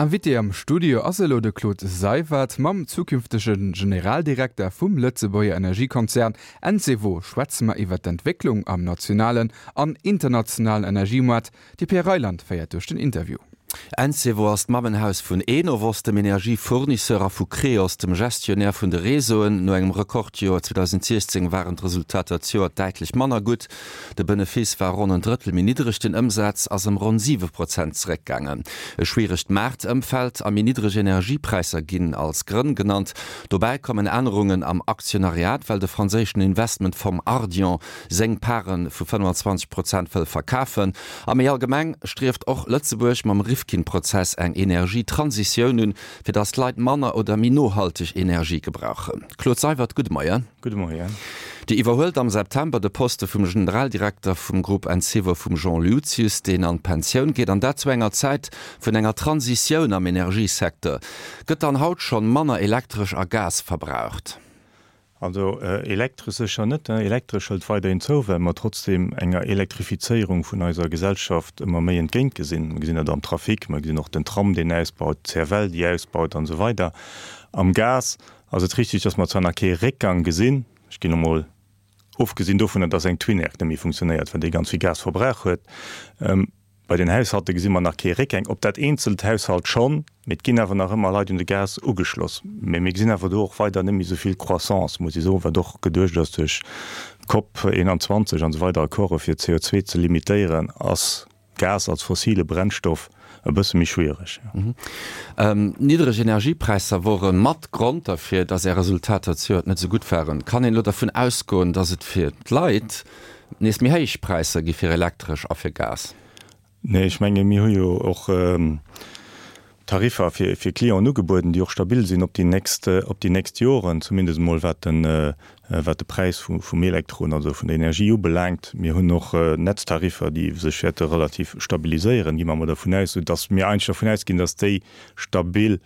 Invité am Studio ass elo de Claude Seywert. Mam zukünftege Generaldirekter vum Lëtzebuerger Energiekonzern Encevo schwätze mer iwwer d'Entwécklung am nationalen an internationalen Energiemoart. De Pierre Reyland féiert duerch den Interview. Encevo ass d'Mammenhaus vun Enovos, dem Energiefournisseur, a vu Creos, dem Gestionnaire vun de Réseauen. No engem Rekordjoer 2016 waren d'Resultater zejoert däitlech manner gutt. De Benefice war ronn en Drëttel méi niddreg, den Ëmsaz ass ëm ronn 7 Prozent zeréckgaangen. E schwieregt Maartëmfeld a méi niddreg Energiepräisser ginn als Grënn genannt. Dobäi kommen Ännerungen am Aktionariat, well de franséischen Investmentfong Ardian seng Pare vu 25 Prozent wëll verkafen. A méi allgemeng strieft och Lëtzebuerg mam Rifkin-Prozess eng Energietransitioun un, fir datt d'Leit manner oder méi nohalteg Energie gebrauchen. Claude Seywert, gudde Moien. Gudde Moien. Dir iwwerhuelt am September de Poste vum Generaldirekter vum Grupp Encevo vum Jean Luzius, deen an d'Pensioun geet, an dat zu enger Zäit vun enger Transitioun am Energiesecteur. Gëtt dann haut schonn manner Elektresch a Gas verbraucht? Also Elektresch sécher net. Elektresch hëlt weiderhin zou, well mer trotzdeem enger Elektrifizéierung vun eiser Gesellschaft ëmmer méi entgéint gesinn. Mer gesinn dat am Trafic, mer gesinn och den Tram, deen ausbaut, d'CFL, déi ausbaut an esou weider. Am Gas ass et richtig, dass mer zwar nach kee Réckgang gesinn, ech ginn emol ofgesinn dovunner, dass eng Twinair net méi funktionéiert, well déi ganz vill Gas verbrauch huet, Bei den Haushalte gesi mer nach kee Réckgang, op dat eenzelt Haushalt schonn, mee et ginn awer nach ëmmer Leit un de Gas ugeschloss. Mee mir gesinn awer do och weider net méi esou vill Croissance, muss ee soen, wat och geduecht ass duerch d'COP 21 an esou weider Accorde fir CO2 ze limitéieren, ass Gas als fossile Brennstoff e bësse méi schwiereg. Niddreg Energiepräisser wore mat Grond derfir, datt Är Resultater zejoert net esou gutt waren. Kann een elo dervun ausgoen, datt et fir d'Leit nees méi héich Präisser gi fir Elektresch a fir Gas? Nee, ech menge mir hu jo och Tariffer fir fir Clienten ugebueden, déi och stabil sinn op déi nächst op déi nächst Joren, zumindest emol wat de wat de Präis vu vum Elektron, also vun der Energie ubelaangt. Mir hunn och Netztariffer, déi sech wäerte relativ stabiliséieren, gi mer emol dervun aus, soudass mir eigentlech dervun ausginn, dass déi stabil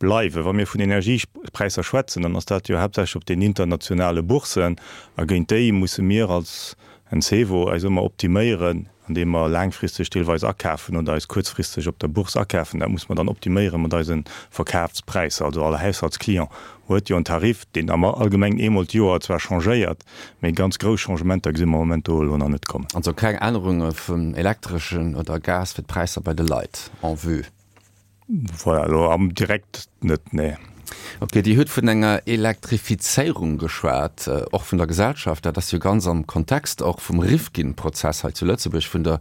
Bleiwen. Wa mir vun Energiepräisser schwätzen, dann ass dat jo haaptsächlech op den internationale Boursen, a géint déi musse mir als Encevo eis ëmmer optiméieren, andeem mer laangfristeg deelweis akafen oder eis kuerzfristeg op der Bourse akafen. Dat musse mer dann optiméiere mat eise Verkafspräisser. Also all Haushaltsclient huet jo en Tarif, deen am Allgemengen eemol d'Joer zwar changéiert, mee ganz grouss Changementer gesi mer am Moment do elo nach net kommen. Also keng Ännerunge vum Elektreschen oder Gas fir d'Präisser bei de Leit en vue? Voilà, elo am direkt net, nee. Ok, Dir hutt vun enger Elektrifizéierung geschwat, och vun der Gesellschaft. Dat ass jo ganz am Kontext och vum Rifkin-Prozess hei zu Lëtzebuerg, vun der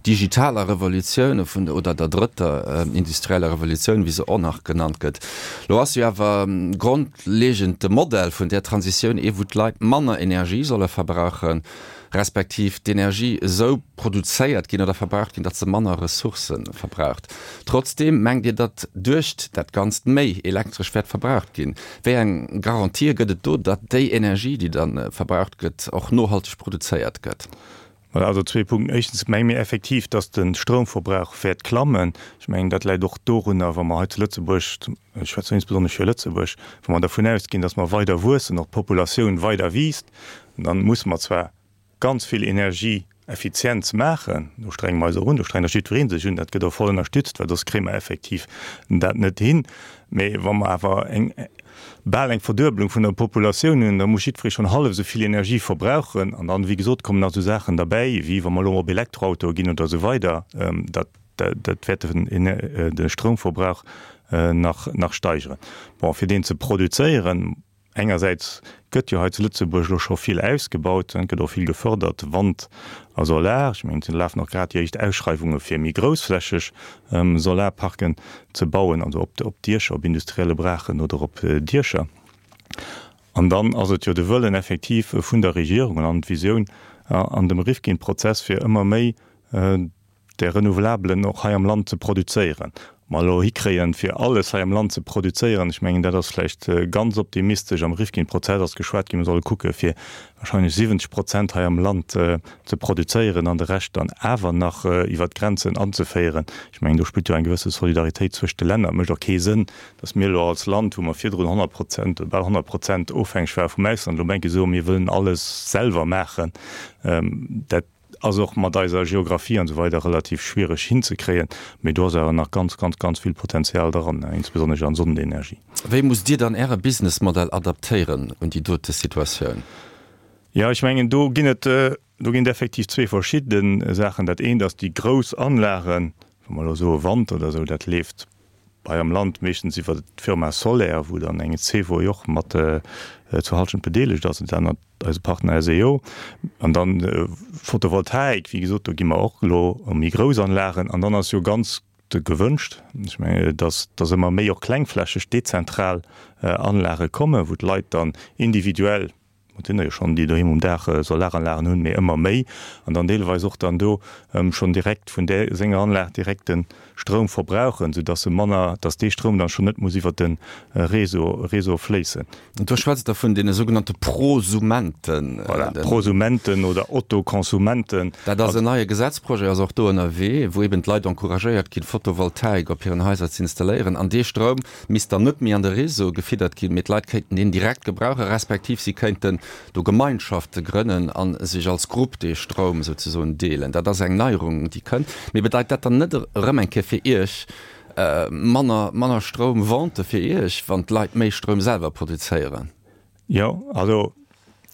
digitaler Revolutioun vun der, oder der drëtter industrieller Revolutioun, wéi se och nach genannt gëtt. Elo ass jo awer grondlegend de Modell vun där Transitioun ee wou d'Leit manner Energie solle verbrauchen, respektiv d'Energie esou produzéiert ginn oder verbraucht ginn, datt se manner Ressourcë verbraucht. Trotzdeem mengt Dir, datt duerch dat Ganzt méi Elektresch wäert verbraucht ginn. Wéi eng Garantië gëtt et do, datt déi Energie, déi da verbraucht gëtt, och nohalteg produzéiert gëtt? Voilà, also zwee Punkten. Éischtens menge mir effektiv, datt de Stroumverbrauch wäert klammen. Ech mengen, dat läit och dorunner, wa mer hei zu Lëtzebuerg, ech schwätzen insbesonnesch fir Lëtzebuerg, wa mer dervun ausginn, datt mer weider wuessen, och d'Populatioun weider wiisst, Dann musse mer zwar ganz vill Energieeffizienz maachen, do strenge mer eis och un, do strengt och jiddweree sech un, dat gëtt och voll ënnerstützt, well soss kréie mer effektiv dat net hin. Mee wa mer awer eng, bal eng Verduebelung vun der Populatioun hunn, da muss jiddweree schonn hallef esou vill Energie verbrauchen. An dann, wéi gesot, kommen nach esou Saachen derbäi, wéi wa mer elo op Elektroautoe ginn oder esou weider, dat, dat wäert de Stroumverbrauch nach, nach steigeren. Bon, fir deen ze produzéieren, Engersäits gëtt jo hei zu Lëtzebuerg elo scho vill ausgebaut, et gëtt och vill gefördert, Wand a Solar. Ech mengen, et lafen och grad déi éischt Ausschreiwunge fir méi groussflächeg Solarparken ze bauen, also op Diecher, op industrielle Braachen oder op Diecher. An dann ass et jo de Wëllen effektiv vun der Regierung an d'Visioun an dem Rifkin-Prozess, fir ëmmer méi där Renouvelabelen och hei am Land ze produzéieren. Mer elo hikréien, fir alles hei am Land ze produzéieren, ech mengen, dat ass vläicht ganz optimistesch. Am Rifkin-Prozess ass geschwat ginn, mer solle kucke fir wahrscheinlech 70 Prozent hei am Land ze produzéieren an de Rescht dann awer nach iwwert d'Grenzen anzeféieren. Ech mengen, do spillt jo eng gewësse Solidaritéit zwëscht de Länner. Et mécht och kee Sënn, datt mir elo als Land, wou mer virdrun 100 Prozent oder bal 100 Prozent ofhängeg ware vum Ausland, elo op eng Kéier soen, mir wëllen alles selwer maachen. Dat. Ass och mat eiser Geographie an esou weider relativ schwiereg hinzekréien, mee do ass awer nach ganz, ganz, ganz vill Potenzial dran, insbesonnesch an Sonnenenergie. Wéi musst Dir dann Äre Businessmodell adaptéieren un déi dote Situatioun? Jo, ech mengen, do ginn et, do ginn et effektiv zwee verschidde Saachen. Dat eent ass déi grouss Anlagen, wa mer elo soe Wand oder esou, dat leeft hei am Land meeschtens iwwer d'Firma Soler, wou dann eng Zewo jo och mat zur Halschent bedeelegt ass, dat anert eise Partner SEO. An dann Photovoltaik, wéi gesot, do gi mer och elo ëm méi grouss Anlagen. An dann ass jo ganz gewënscht, ech mengen, dass dass ëmmer méi och klengflächeg, dezentral Anlage kommen, wou d'Leit dann individuell, et sinn der jo schonn, déi doheem um Daach Solaranlagen hunn, mee ëmmer méi, an dann deelweis och dann do schonn direkt vun där senger Anlag direkt de Stroum verbrauchen, soudass se manner, dass dee Stroum dann schonn net muss iwwert de Réseau, Réseau fléissen. An do schwätzt Der vun deene sougenannte Prosumenten. Voilà, Prosumenten oder Autoconsumenten. Dat ass en neie Gesetzprojet, ass och do ënnerwee, wou eben d'Leit encouragéiert ginn, Photovoltaik op hiren Haiser ze installéieren. An dee Stroum misst dann net méi an de Réseau gefiddert ginn, mee d'Leit kéinten deen direkt gebrauchen, respektiv si kéinten do Gemeinschafte grënnen a sech als Grupp dee Stroum souzesoen deelen. Dat ass eng Neierung, déi kënnt. Mee bedeit dat dann net erëm eng Kéier fir Iech manner, manner Stroumvente fir Iech, wann d'Leit méi Stroum selwer produzéieren? Jo, also,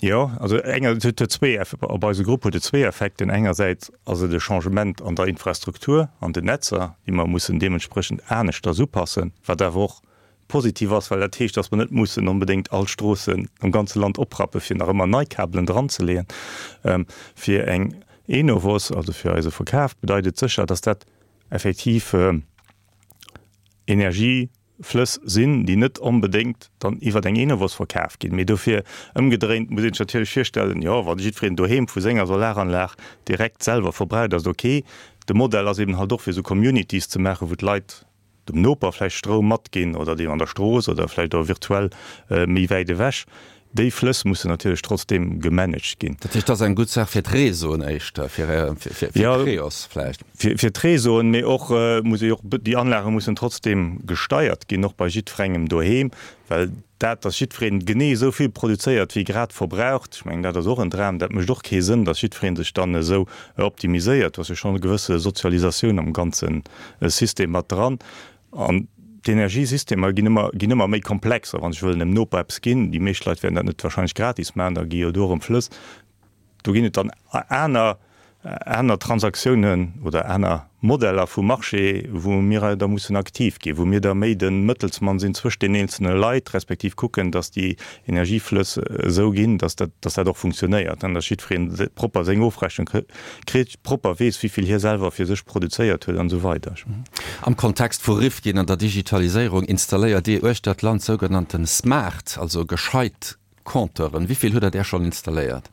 jo, also enger, et huet zwee, op eise Grupp huet et zwee Effekten. Engersäits ass et e Changement an der Infrastruktur, an den Netzer, déi mer mussen deementsprechend aneschters upassen, wat awer och positiv ass, well dat heescht, dass mer net mussen onbedéngt all Stroossen am ganze Land oprappen, fir nach ëmmer nei Kabelen dranzeleeën. Fir eng Enovos, also fir eise Verkaf, bedeit et sécher, dass dat effektiv Energieflëss sinn, déi net onbedéngt dann iwwer eng Enovos verkaf ginn. Mee dofir ëmgedréint muss een sech natierlech virstellen, jo, wa jiddwereen doheem vu senger Solaranlag direkt selwer verbraucht, ass et ok. De Modell ass eben halt och fir esou Communities ze maachen, wou d'Leit dem Noper vläicht Stroum matginn oder deem an der Strooss oder vläicht och virtuell méi wäit ewech. Déi Flëss mussen natierlech trotzdeem gemanagt ginn. Dat heescht, dat ass eng gutt Saach fir d'Réseauen éischter, fir d'Creos vläicht? Jo, fir d'Réseauen, mee och muss ee och, déi Anlage mussen trotzdeem gesteiert ginn, och bei jiddwerengem doheem, well dat, datt jiddwereen genee esou vill produzéiert wéi grad verbraucht, ech mengen, dat ass och en Dram, dat mécht och kee Sënn, datt jiddweree sech dann esou optimiséiert. Do ass jo schonn e gewësse Sozialisatioun am ganze System mat dran. An d'Energiesystemer ginn ëmmer, ginn ëmmer méi komplex. A wann ech wëll dem Noper eppes ginn, déi meescht Leit wäerten dat net wahrscheinlech gratis maachen, da gi jo do erëm Flëss. Do ginn et dann aner, aner Transaktiounen oder aner Modeller vum Marché, wou mir da mussen aktiv ginn, wou mir da méi de Mëttelsmann sinn zwëscht den eenzelne Leit, respektiv kucken, datt déi Energieflëss esou ginn, datt dat, datt dat och funktionéiert, datt jiddweree propper seng Ofrechnung kritt, propper weess, wéi vill hie selwer fir sech produzéiert huet an esou weider. Am Kontext vu Rifkin an der Digitaliséierung installéiert Dir uechter d'Land sougenannten smart, also gescheit Compteuren. Wéi vill hutt Der där schonn installéiert?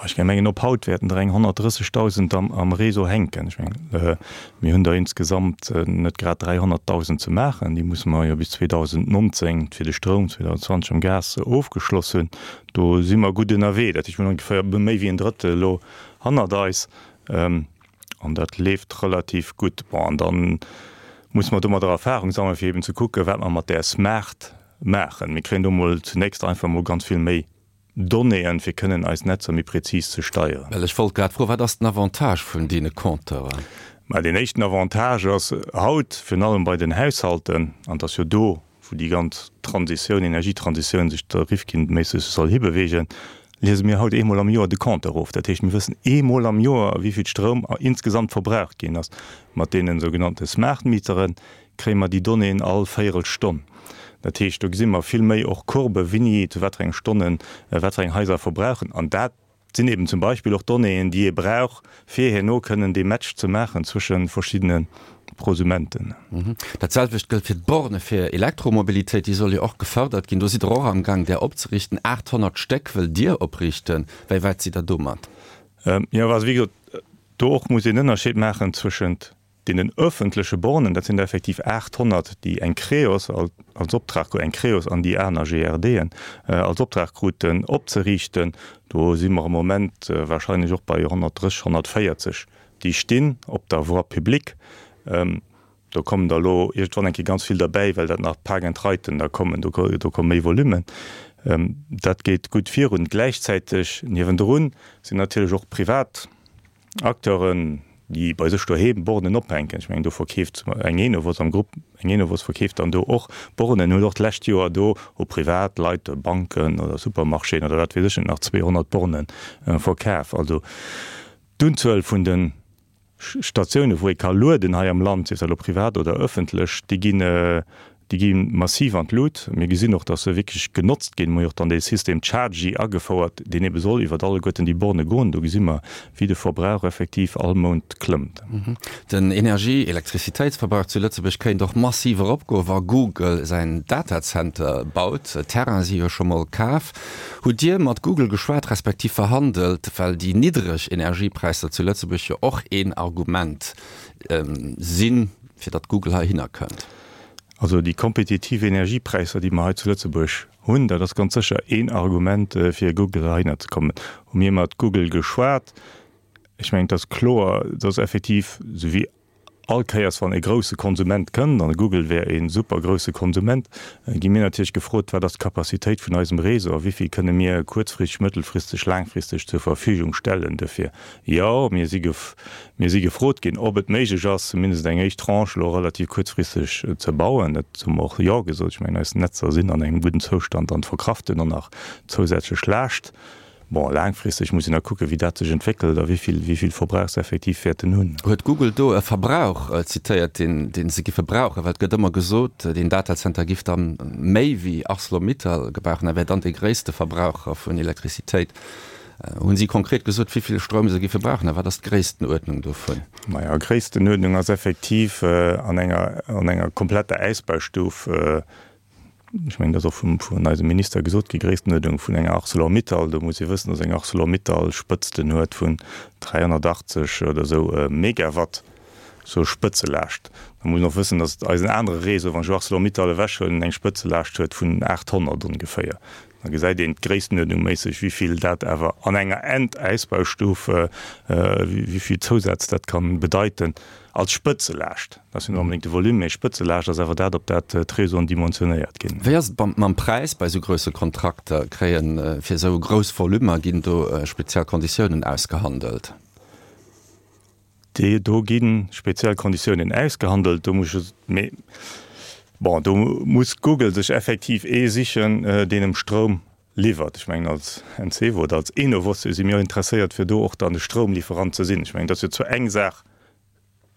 Ech mengen, op haut wäerten der eng 130.000 am Réseau hänken. Ech mengen, mir hunn der insgesamt net grad 300.000 ze maachen. Déi musse mer jo bis 2019 fir de Stroum, 2020 am Gas ofgeschloss hunn. Do si mer gutt ënnerwee. Dat heescht, mir hunn ongeféier méi wéi en Drëttel elo hannert eis an dat leeft relativ gutt. Bon, an da musse mer domadder Erfahrung sammeln, fir eben ze kucken, wat mer mat där Smart maachen. Mir kréien do mol zunächst einfach mol ganz vill méi Donnéeën, fir kënnen eis Netzer méi prezis ze steieren. Well ech wollt grad froen, wat ass den Avantage vun deene Compteuren? Mä deen éischten Avantage ass haut, virun allem bei den Haushalten, an et ass jo do, wou déi ganz Transitioun, Energietransitioun sech der Rifkin-méisseg soll hibewegen, liese mir haut eemol am Joer de Compteur of. Dat heescht, mir wëssen eemol am Joer, wéi vill Stroum insgesamt verbraucht ginn ass. Mat deene sougenannte Smart Mitere kréie mer déi Donnéeën all Véierelstonn. Dat heescht, do gesi mer vill méi och Courbe, wéini, zu wat fir enge Stonnen, wat fir eng Haiser verbrauchen. An dat sinn eben zum Beispill och Donnéeën, déi ee brauch, fir herno kënnen dee Match ze maachen zwësche verschiddene Prosumenten. Dat selwecht gëllt fir d'Borne fir Elektromobilitéit. Déi soll jo och gefërdert ginn. Do sidd Der och amgaang, där opzeriichten. 800 Stéck wëllt Dir opriichten. Wéi wäit sidd Der domat? Jo, also wéi gesot, do och muss een Ënnerscheed maachen zwëschent Deenen öffentleche Bornen, dat sinn der effektiv 800, déi eng Creos als Optrag, eng Creos an déi aner GRDen als Optrag kruten opzeriichten. Do si mer am Moment wahrscheinlech och bei 130, 140, déi stinn op der Voie publique. Do kommen der elo iergendwann eng Kéier ganz vill derbäi, well dat nach Park-and-Riden da kommen, do komme méi Volumen. Dat geet gutt virun. Gläichzäiteg niewendrun sinn natierlech och privat. Acteuren, déi bei sech doheem Bornen ophänken. Ech mengen, do verkeeft eng Enovos am Grupp, eng Enovos verkeeft dann do och Bornen, huet och d'lescht Joer do u privat Leit, Banken oder Supermarchéen oder wat weess ech net nach 200 Borne verkaf. Also d'Unzuel vun de Statiounen, wou ee ka lueden hei am Land, sief dat elo privat oder ëffentlech, déi ginn, déi gi massiv an d'Lut. Mir gesinn och, dass se wierklech genotzt ginn. Mir hu jo och dann dee System Chargy agefouert, deen ebe soll iwwert alleguerten déi Borne goen. Do gesi mer, wéi de Verbrauch effektiv all Mount klëmmt. Den Energie-, Elektrizitéitsverbrauch zu Lëtzebuerg kéint och massiv eropgoen, wa Google säin Datazenter baut. Terraine si jo scho mol kaf. Hutt Dir mat Google geschwat, respektiv verhandelt, well déi niddreg Energiepräisser zu Lëtzebuerg jo och een Argument sinn, fir datt Google heihinner kënnt? Also déi kompetitiv Energiepräisser, déi mer hei zu Lëtzebuerg hunn, dat ass ganz sécher een Argument, fir Google heihinner ze kommen. Hu mir mat Google geschwat? Ech mengen, et ass kloer, dass effektiv, esou wéi all Kéiers, wann e grousse Konsument kënnt, an Google wär e super grousse Konsument, gi mir natierlech gefrot, wat ass d'Capacitéit vun eisem Réseau a wéi vill kënne mir kuerzfristeg, mëttelfristeg, laangfristeg zur Verfügung stellen. Dofir, jo, mir si Mir si gefrot ginn, ob et méiglech ass, zumindest eng éischt Tranche elo relativ kuerzfristeg ze bauen. Dat hu mer och Jo gesot. Ech mengen, eis Netzer sinn an engem gudden Zoustand an verkraften och nach zousätzlech Laascht. Bon, laangfristeg muss een da kucken, wéi dat sech entwéckelt a wéi vill, wéi vill Verbrauch se effektiv wäerten hunn. Huet Google do e Verbrauch zitéiert, deen, deen se giffe brauchen? Well et gëtt ëmmer gesot, deen Datacenter giff da méi wéi Arcelor-Mittal gebrauchen a wär dann dee gréisste Verbraucher vun Elektrizitéit. Hunn si konkret gesot, wéi vill Stroum se giffe brauchen a wat ass d'Gréisstenuerdnung dovun? Majo, Gréisstenuerdnung ass effektiv an enger, an enger kompletter Äisbaustuf, ech mengen, dat ass och vum, vun eisem Minister gesot gi, Gréisstenuerdnung vun enger Arcelor-Mittal. Do muss ee wëssen, dass eng Arcelor-Mittal Spëtzten huet vun 380 oder esou Megawatt, sou Spëtzelaascht. Da muss een och wëssen, dass eisen anere Réseau, wann ech elo Arcelor-Mittal ewechhuelen, eng Spëtzelaascht huet vun 800 ongeféier. Da gesäit een gréisstenuerdnungméisseg, wéi vill dat awer an enger Endausbaustuf, wéi vill Zousätz dat ka bedeiten als Spëtzelaascht. Dat ass jo net onbedéngt de Volume, mee Spëtzelaascht ass awer dat, op dat d'Réseauen dimensionéiert ginn. Wéi ass et mam Präis bei esou grousse Kontrakter? Kréien fir esou grouss Volummer, ginn do speziell Konditiounen ausgehandelt? Déi do gi speziell Konditiounen ausgehandelt. Do muss ech, mee bon, do muss Google sech effektiv ee sichen, deen em Stroum liwwert. Ech mengen, als Encevo oder als Enovos si mir och interesséiert, fir do och dann de Stroumlieferant ze sinn. Ech mengen, dat ass jo zwar eng Saach,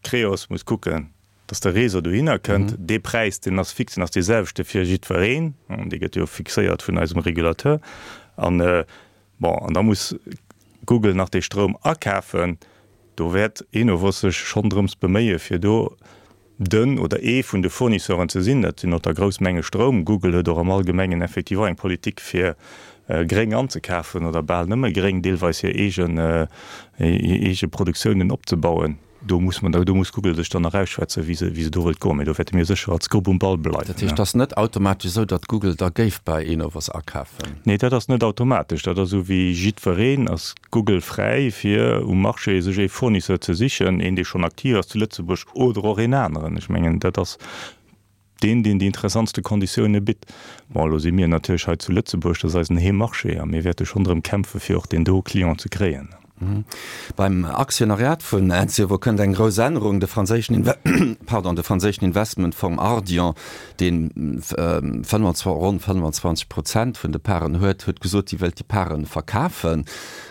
Creos muss kucken, dass de Réseau dohinner kënnt. Dee Präis, deen ass fix, deen ass dee selwechte fir jiddwereen. Dee gëtt jo fixéiert vun eisem Régulateur. An Bon, an da muss Google nach dee Stroum akafen. Do wäert Enovos sech schonn drëms beméie fir do den oder ee vun de Fournisseuren ze sinn. Dat sinn och da grouss Menge Stroum. Google huet och am Allgemengen effektiv och eng Politik fir gréng anzekafen oder bal nëmme gréng, deelweis hir eegen, hir eege Produktiounen opzebauen. Do muss man, do muss Google sech dann nach ausschwätzen, wéi se, wéi se do wëllt goen. Mee do wäerte mir sécher als Grupp um Ball bleiwen. Dat heescht, et ass net automatesch esou, datt Google da géif bei Enovos akafen? Nee, dat ass net automatesch. Dat ass esou wéi jiddwereen ass Google fräi fir um Marché sech ee Fournisseur ze sichen, een dee schonn aktiv ass zu Lëtzebuerg oder och een aneren. Ech mengen, dat ass deen, deen déi interessantste Konditioune bitt. Bon, elo si mir natierlech hei zu Lëtzebuerg, dat ass eisen Heemmarché a mir wäerte schonn drëm kämpfe fir och deen do Client ze kréien. Beim Aktionariat vun Encevo kënnt eng grouss Ännerung, De franséischen pardon, de franséischen Investmentfong Ardian, dee ronn 25 Prozent vun de Paren huet, huet gesot, hie wëllt déi Pare verkafen.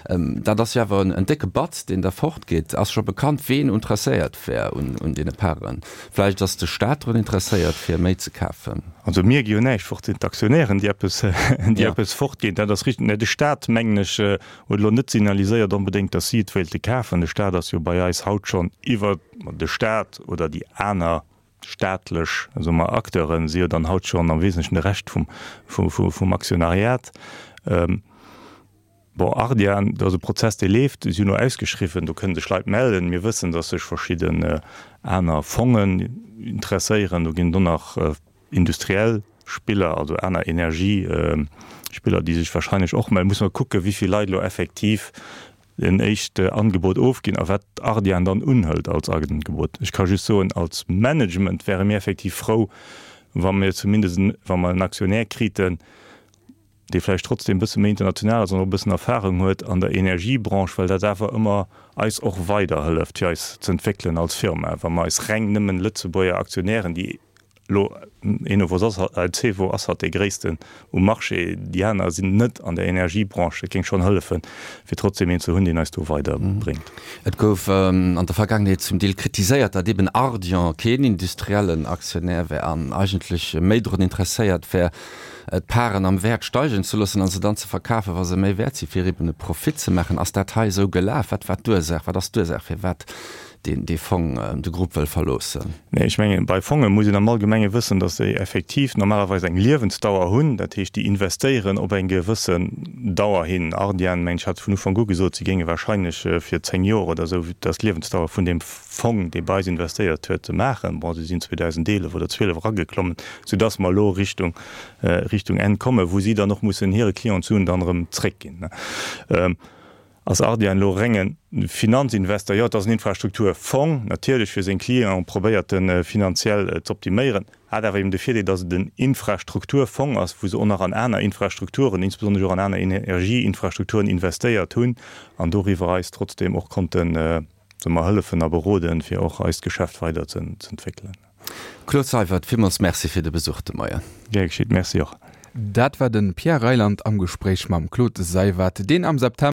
Dat ass jo awer en décke Batz, deen da fortgeet. Ass scho bekannt, ween interesséiert wär un deene Paren? Vläicht ass de Staat drun interesséiert, fir méi ze kafen. Also mir gi jo näischt fort, et sinn d'Aktionären, déi eppes, déi eppes fortginn. Dat ass richteg. Mä de Staat, mengen ech, huet elo net signaliséiert onbedéngt, datt si et wéilte kafen. De Staat ass jo bei eis haut schonn iwwer, de Staat oder déi aner staatlech, soe mer, Acteuren si jo dann haut schonn am Wesentlechen de Rescht vum, vum Aktionariat. Bon, Ardian, dat ass e Prozess, dee leeft. Si hunn elo ausgeschriwwen, do kënne sech Leit mellen. Mir wëssen, datt sech verschidden aner Fongen interesséieren. Do ginn et och nach industriell Spiller, also aner Energiespiller, déi sech wahrscheinlech och mellen. Musse mer kucken, wéi vill Leit elo effektiv en éischt Angebot ofginn a wat Ardian dann unhëlt als Angebot. Ech ka just soen, als Management wäre mir effektiv frou, wa mir zumindest, wa mer en Aktionär kriten,. dee vläicht trotzdem e bësse méi international ass an och e bëssen Erfahrung huet an der Energiebranche, well dat awer ëmmer eis och weiderhëlleft, fir eis z'entwéckelen als Firma. Wa mer eis reng nëmmen Lëtzebuerger Aktionären, déi elo, Enovos ass, Encevo ass hatt dee gréissten um Marché, déi aner sinn net an der Energiebranche, dat géing schonn hëllefen, fir trotzdem een ze hunn, deen eis do weiderbréngt. Et gouf an der Vergaangenheet zum Deel kritiséiert, datt eben Ardian keen industriellen Aktionär wär an eigentlech méi drun interesséiert wär, d'Paren am Wäert steigen ze loossen a se dann ze verkafen, wa se méi wäert sinn, fir eben e Profit ze maachen. Ass dat hei esou gelaf? Wat war d'Ursaach? Wat ass d'Ursaach, firwat deen dee Fong de Grupp wëll verloossen? Nee, ech mengen, bei Fonge muss een am Allgemenge wëssen, datt déi effektiv normalerweis eng Liewensdauer hunn. Dat heescht, déi investéieren op eng gewëssen Dauer hin. Ardian, mengen ech, hat vun Ufank u gesot, si géinge wahrscheinlech fir 10 Joer oder esou, dat ass d'Liewensdauer vun deem Fong, dee bei eis investéiert huet, maachen. Bon, si sinn 2011 oder 12 erageklommen, soudass mer elo Richtung, Richtung Enn kommen, wou si dann och mussen hire Clienten d'Suen dann erëm zréckginn. Ass Ardian elo renge Finanzinvestor? Jo, et ass en Infrastrukturfong, natierlech fir seng Clienten probéiert e finanziell z'optiméieren, hat awer eben de Virdeel, datt et en Infrastrukturfong ass, wou se och nach an aner Infrastrukturen, insbesonnesch och an aner Energieinfrastrukturen investéiert hunn an doriwwer eis trotzdeem och konnten, soe mer, hëllefen a beroden, fir och eist Geschäft weider z'entwéckelen. Claude Seywert, villmools Merci fir de Besuch de Moien. Gär geschitt, Merci och. Dat war de Pierre Reyland am Gespréich mam Claude Seywert, deen am September.